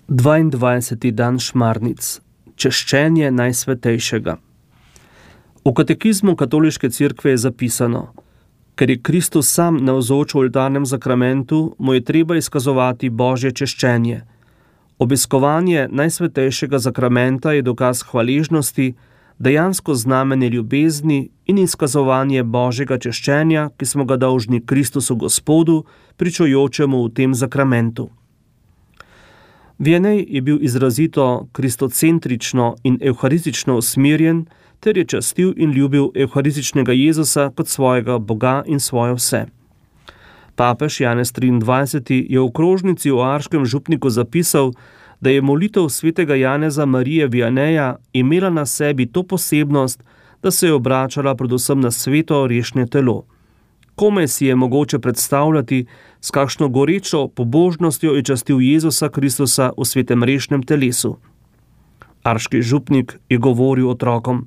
22. dan Šmarnic. Češčenje Najsvetejšega. V katekizmu Katoliške cerkve je zapisano: ker je Kristus sam navzoč v oltarnem zakramentu, mu je treba izkazovati Božje češčenje. Obiskovanje Najsvetejšega zakramenta je dokaz hvaležnosti, dejansko znamenje ljubezni in izkazovanje Božjega češčenja, ki smo ga dolžni Kristusu Gospodu, pričujočemu v tem zakramentu. Vianney je bil izrazito kristocentrično in evharistično usmerjen, ter je častil in ljubil evharističnega Jezusa kot svojega Boga in svoje vse. Papež Janez 23. je v krožnici v Arškem župniku zapisal, da je molitev svetega Janeza Marije Vianneja imela na sebi to posebnost, da se je obračala predvsem na sveto rešnje telo. Komaj si je mogoče predstavljati, s kakšno gorečo pobožnostjo je častil Jezusa Kristusa v svetem rešnem telesu. Arški župnik je govoril otrokom: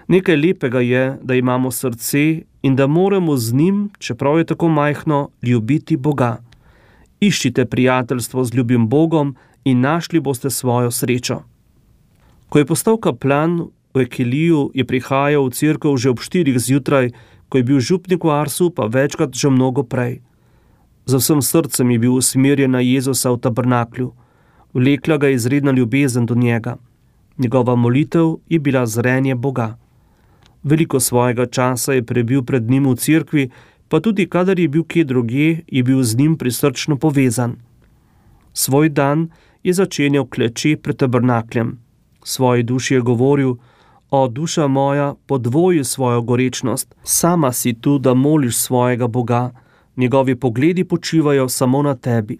nekaj lepega je, da imamo srce in da moramo z njim, čeprav je tako majhno, ljubiti Boga. Iščite prijateljstvo z ljubim Bogom in našli boste svojo srečo. Ko je postal kaplan v Ekiliju, je prihajal v cerkev že ob 4 zjutraj, ko je bil župnik v Arsu, pa večkrat že mnogo prej. Z vsem srcem je bil usmerjen na Jezusa v tabernaklju. Vlekla ga je izredna ljubezen do njega. Njegova molitev je bila zrenje Boga. Veliko svojega časa je prebil pred njim v cerkvi, pa tudi kadar je bil kje drugje, je bil z njim prisrčno povezan. Svoj dan je začenjal kleče pred tabernakljem. Svoji duši je govoril: o, duša moja, podvoji svojo gorečnost, sama si tu, da moliš svojega Boga, njegovi pogledi počivajo samo na tebi.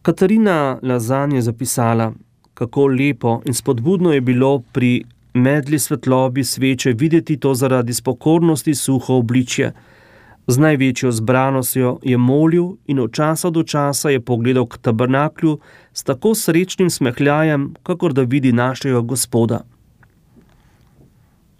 Katarina Lazan je zapisala: kako lepo in spodbudno je bilo pri medli svetlobi sveče videti to zaradi spokornosti suho obličje. Z največjo zbranostjo je molil in od časa do časa je pogledal k tabernaklju s tako srečnim smehljajem, kakor da vidi našega Gospoda.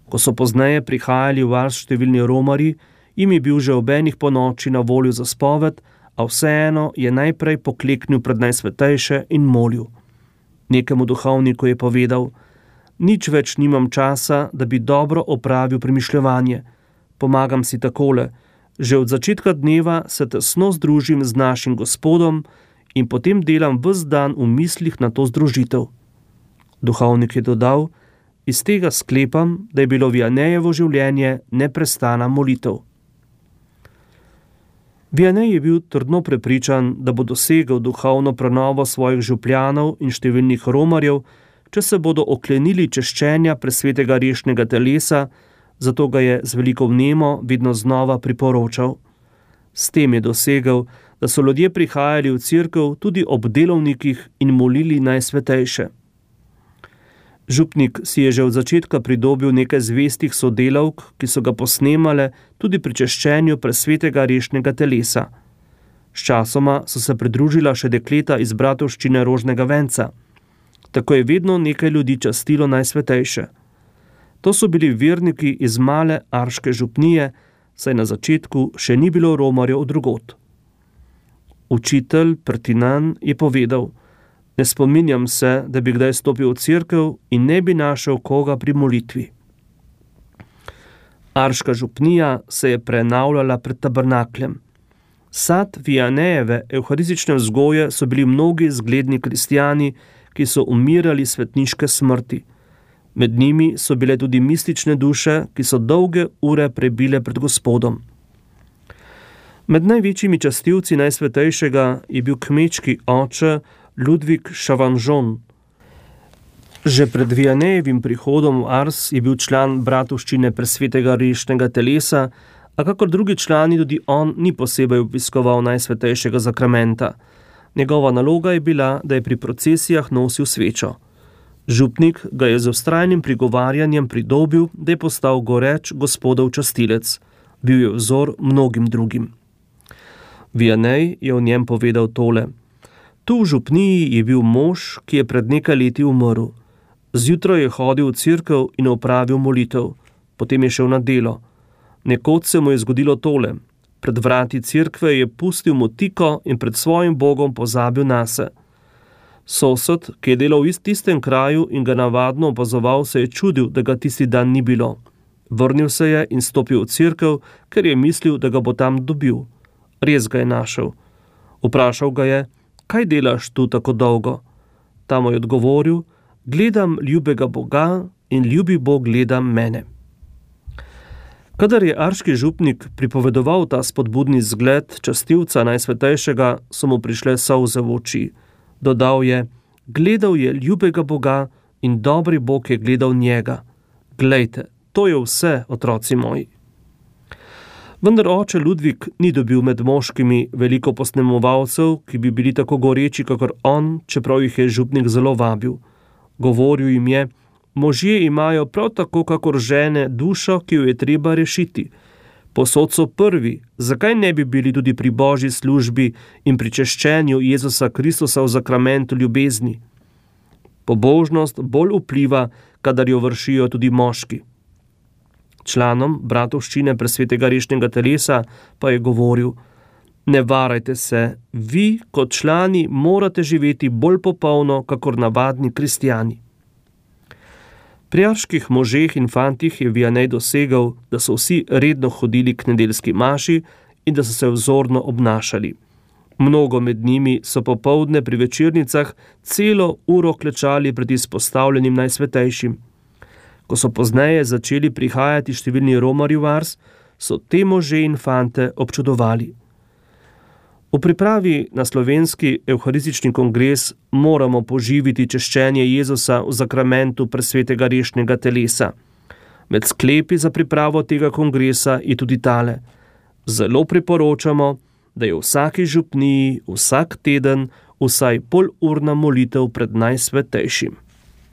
Ko so pozneje prihajali v Ars številni romarji, jim je bil že ob enih ponoči na voljo za spoved, a vseeno je najprej pokleknil pred Najsvetejše in molil. Nekemu duhovniku je povedal: nič več nimam časa, da bi dobro opravil premišljevanje. Pomagam si takole: že od začetka dneva se tesno združim z našim Gospodom in potem delam ves dan v mislih na to združitev. Duhovnik je dodal: iz tega sklepam, da je bilo Viannejevo življenje neprestana molitev. Vianney je bil trdno prepričan, da bo dosegel duhovno prenovo svojih župljanov in številnih romarjev, če se bodo oklenili češčenja presvetega rešnega telesa, zato ga je z veliko vnemo vedno znova priporočal. S tem je dosegel, da so ljudje prihajali v cerkev tudi ob delovnikih in molili Najsvetejše. Župnik si je že od začetka pridobil nekaj zvestih sodelavk, ki so ga posnemale tudi pri češčenju presvetega rešnega telesa. Sčasoma so se pridružila še dekleta iz bratovščine Rožnega venca. Tako je vedno nekaj ljudi častilo Najsvetejše. To so bili verniki iz male arške župnije, saj na začetku še ni bilo romarjev drugod. Učitelj Pertinan je povedal: ne spominjam se, da bi kdaj stopil v cerkev in ne bi našel koga pri molitvi. Arška župnija se je prenavljala pred tabernakljem. Sad Vianneyjeve evharistične vzgoje so bili mnogi zgledni kristjani, ki so umirali svetniške smrti. Med njimi so bile tudi mistične duše, ki so dolge ure prebile pred Gospodom. Med največjimi častilci Najsvetejšega je bil kmečki oče Ludvik Chavanjon. Že pred Vianneyjevim prihodom v Ars je bil član bratovščine presvetega rešnega telesa, a kakor drugi člani tudi on ni posebej obiskoval Najsvetejšega zakramenta. Njegova naloga je bila, da je pri procesijah nosil svečo. Župnik ga je z vztrajnim prigovarjanjem pridobil, da je postal goreč Gospodov častilec. Bil je vzor mnogim drugim. Vianney je o njem povedal tole: tu v župniji je bil mož, ki je pred nekaj leti umrl. Zjutraj je hodil v cerkev in opravil molitev, potem je šel na delo. Nekoč se mu je zgodilo tole: pred vrati cerkve je pustil motiko in pred svojim Bogom pozabil nase. Sosed, ki je delal v tistem kraju in ga navadno opazoval, se je čudil, da ga tisti dan ni bilo. Vrnil se je in stopil v cerkev, ker je mislil, da ga bo tam dobil. Res ga je našel. Vprašal ga je, kaj delaš tu tako dolgo? Ta mu je odgovoril, gledam ljubega Boga in ljubi Bog gleda mene. Kadar je arški župnik pripovedoval ta spodbudni zgled častilca Najsvetejšega, so mu prišle solze v oči. Dodal je, gledal je ljubega Boga in dobri Bog je gledal njega. Glejte, to je vse, otroci moji. Vendar oče Ludvik ni dobil med moškimi veliko posnemovalcev, ki bi bili tako goreči kakor on, čeprav jih je župnik zelo vabil. Govoril jim je, možje imajo prav tako kakor žene dušo, ki jo je treba rešiti. Posod so prvi, zakaj ne bi bili tudi pri Božji službi in pri češčenju Jezusa Kristusa v zakramentu ljubezni? Pobožnost bolj vpliva, kadar jo vršijo tudi moški. Članom bratovščine presvetega rešnega telesa pa je govoril, ne varajte se, vi kot člani morate živeti bolj popolno, kakor navadni kristjani. Pri arških možeh in fantih je Vianney dosegal, da so vsi redno hodili k nedeljski maši in da so se vzorno obnašali. Mnogo med njimi so popoldne pri večernicah celo uro klečali pred izpostavljenim Najsvetejšim. Ko so pozneje začeli prihajati številni romarji v Ars, so te može in fante občudovali. V pripravi na slovenski evharistični kongres moramo poživiti češčenje Jezusa v zakramentu presvetega rešnega telesa. Med sklepi za pripravo tega kongresa je tudi tale. Zelo priporočamo, da je v vsaki župniji vsak teden vsaj polurna molitev pred Najsvetejšim.